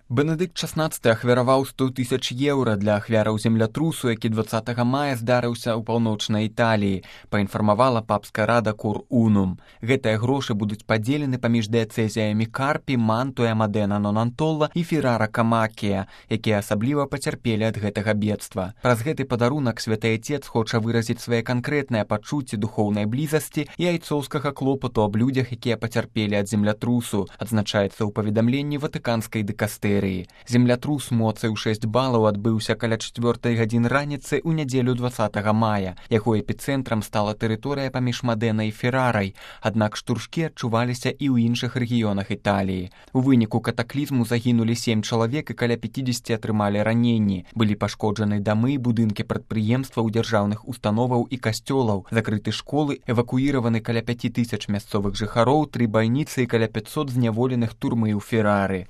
Бенедыкт XVI ахвяраваў 100 тысяч еўра для ахвяраў землятрусу, які 20 мая здарыўся ў паўночнай Італіі, паінфармавала папская рада Кур Унум. Гэтыя грошы будуць падзелены паміж дыяцэзіямі Карпі, Мантуя, Мадена, Нонантолла і Феррара Камакія, якія асабліва пацярпелі ад гэтага бедства. Праз гэты падарунак святы айцец хоча выразіць свае канкрэтныя пачуцці духоўнай блізасці і айцоўскага клопату аб людзях, якія пацярпелі ад землятрусу, адзначаецца ў паведамленні ватыканскай дыкастэрыі. Землятрус моцай у 6 балаў адбыўся каля 4 гадзін раніцы ў нядзелю 20 мая. Яго эпіцэнтрам стала тэрыторыя паміж Мадэнай і Феррарай, аднак штуршкі адчуваліся і ў іншых рэгіёнах Італіі. У выніку катаклізму загінулі 7 чалавек і каля 50 атрымалі раненні. Былі пашкоджаны дамы, будынкі прадпрыемстваў, дзяржаўных установаў і касцёлаў, закрыты школы, эвакуіраваны каля 5000 мясцовых жыхароў, 3 бальніцы і каля 500 зняволеных турмы ў Феррары.